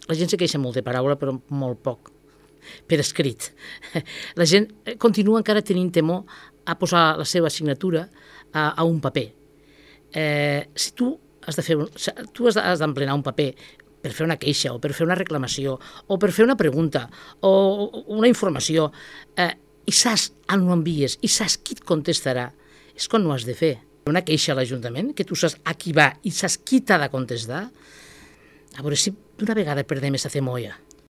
La gent se queixa molt de paraula, però molt poc per escrit. La gent continua encara tenint temor a posar la seva signatura a un paper. Si tu has d'emplenar un paper per fer una queixa o per fer una reclamació o per fer una pregunta o una informació i saps on ho envies i saps qui et contestarà, és quan ho has de fer. Una queixa a l'Ajuntament, que tu saps a qui va i saps qui t'ha de contestar, a veure si d'una vegada perdem aquesta cemolla.